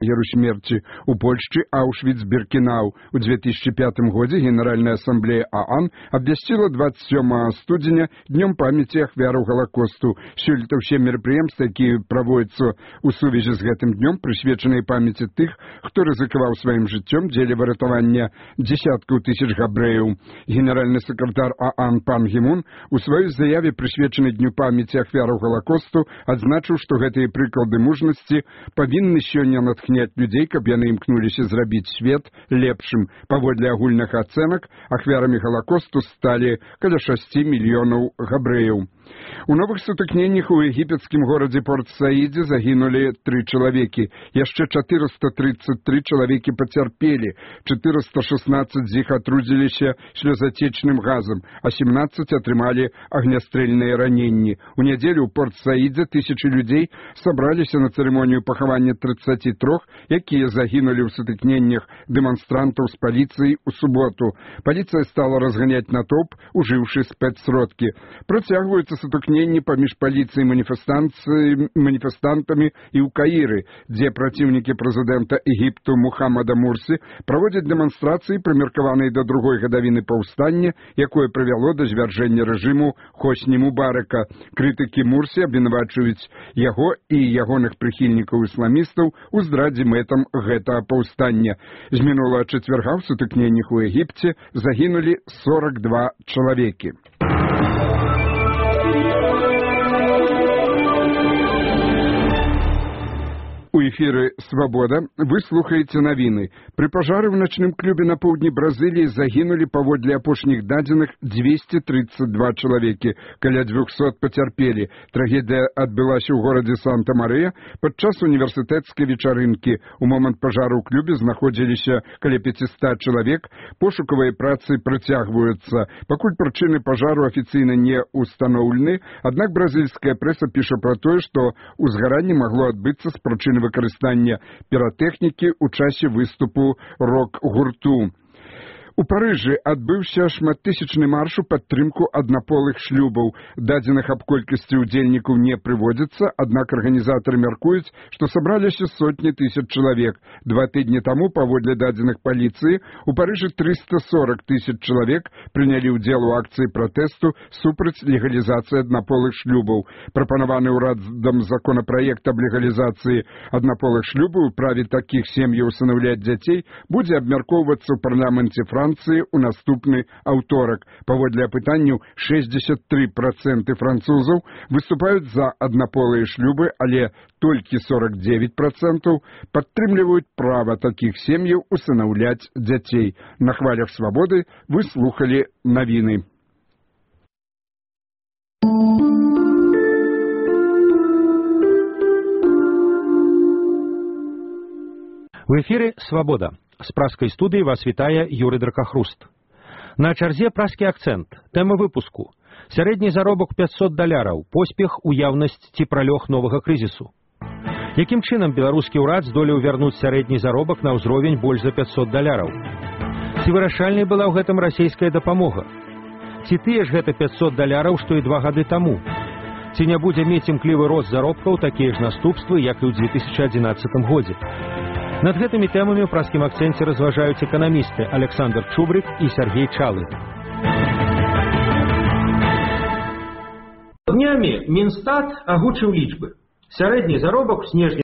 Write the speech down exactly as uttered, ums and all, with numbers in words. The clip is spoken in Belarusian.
лагеру смерти у Польшчы Аушвіц-Біркенау. У две тысячи пятом году Генеральная ассамблея ООН обвясціла двадцать седьмого студзеня днем памяти ахвяраў Голокосту. Сёлета ўсе мерапрыемствы, якія праводзяцца ў сувязі з гэтым днём, прысвечаныя памяці тых, хто рызыкаваў сваім жыццём дзеля выратавання дзесяткаў тысяч габрэяў. Генеральны сакратар ООН пан Гі Мун у сваёй заяве, прысвечанай дню памяці ахвяраў Голокосту, адзначыў, што гэтыя прыклады мужнасці павінны сёння натхняць людзей, каб яны імкнуліся зрабіць свет лепшым. Паводле агульных ацэнак, ахвярамі Голокосту сталі каля шасці мільёнаў габрэяў. У новых сутыкненнях у егіпецкім горадзе Порт-Саідзе загінулі тры чалавекі. Яшчэ чатырыста тридцать три чалавекі пацярпелі, чатырыста шестнадцать з іх атрудзіліся слёзацечным газам, а семнадцать атрымалі агнястрэльныя раненні. У нядзелю ў Порт-Саідзе тысячы людзей сабраліся на цырымонію пахавання тридцати трёх, якія загінулі ў сутыкненнях дэманстрантаў з паліцыяй у суботу. Паліцыя стала разганяць натоўп, ужыўшы спецсродкі. Працягваюцца сутыкненні паміж паліцыяй і маніфестантамі і ў Каіры, дзе праціўнікі прэзідэнта Егіпту Мухаммада Мурсі праводзяць дэманстрацыі, прымеркаваныя да другой гадавіны паўстання, якое прывяло да звяржэння рэжыму Хосні Мубарака. Крытыкі Мурсі абвінавачваюць яго і ягоных прыхільнікаў ісламістаў у здрадзе мэтам гэтага паўстання. З мінулага чацвярга ў сутыкненнях у Егіпце загінулі сорок два чалавекі. У эфіры «Свабода» вы слухаеце навіны. Пры пажары ў начным клубе на поўдні Бразыліі загінулі паводле апошніх дадзеных двести тридцать два чалавекі, каля двухсот пацярпелі. Трагедыя адбылася ў горадзе Санта-Марыя падчас універсітэцкай вечарынкі. У момант пажару ў клубе знаходзіліся каля пятисот чалавек. Пошукавыя працы працягваюцца. Пакуль прычыны пажару афіцыйна не ўстаноўлены, аднак бразільская прэса піша пра тое, што ўзгаранне магло адбыцца з прычыны выкарыстання піратэхнікі ў часе выступу рок-гурту. У Парыжы адбыўся шматтысячны марш у падтрымку аднаполых шлюбаў. Дадзеных аб колькасці ўдзельнікаў не прыводзіцца, аднак арганізатары мяркуюць, што сабраліся сотні тысяч чалавек. Два тыдні таму, паводле дадзеных паліцыі, у Парыжы триста сорок тысяч чалавек прынялі ўдзел у акцыі пратэсту супраць легалізацыі аднаполых шлюбаў. Прапанаваны ўрадам законапраект аб легалізацыі аднаполых шлюбаў у праве такіх сем'яў усынаўляць дзяцей будзе абмяркоўвацца ў парламенце Францыі у наступны аўторак. Паводле апытанняў, шестьдесят три процента французаў выступаюць за аднаполыя шлюбы, але толькі сорок девять процентов падтрымліваюць права такіх сем'яў усынаўляць дзяцей. На хвалях свабоды вы слухалі навіны. В эфіры «Свабода». З праскай студыі вас вітае Юрый Дракахруст. На чарзе праскі акцэнт. Тэма выпуску. Сярэдні заробак пятьсот даляраў. Поспех, уяўнасць ці пралёг новага крызісу. Якім чынам беларускі ўрад здолеў вярнуць сярэдні заробак на ўзровень больш за пятьсот даляраў? Ці вырашальнай была ў гэтым расійская дапамога? Ці тыя ж гэта пятьсот даляраў, што і два гады таму? Ці не будзе мець імклівы рост заробкаў такія ж наступствы, як і ў две тысячи адзінаццатым годзе? Над гэтымі тэмамі ў праскім акцэнце разважаюць эканамісты Александр Чубрык і Сергей Чалы. Днямі Мінстат агучыў лічбы. Сярэдні заробак у снежні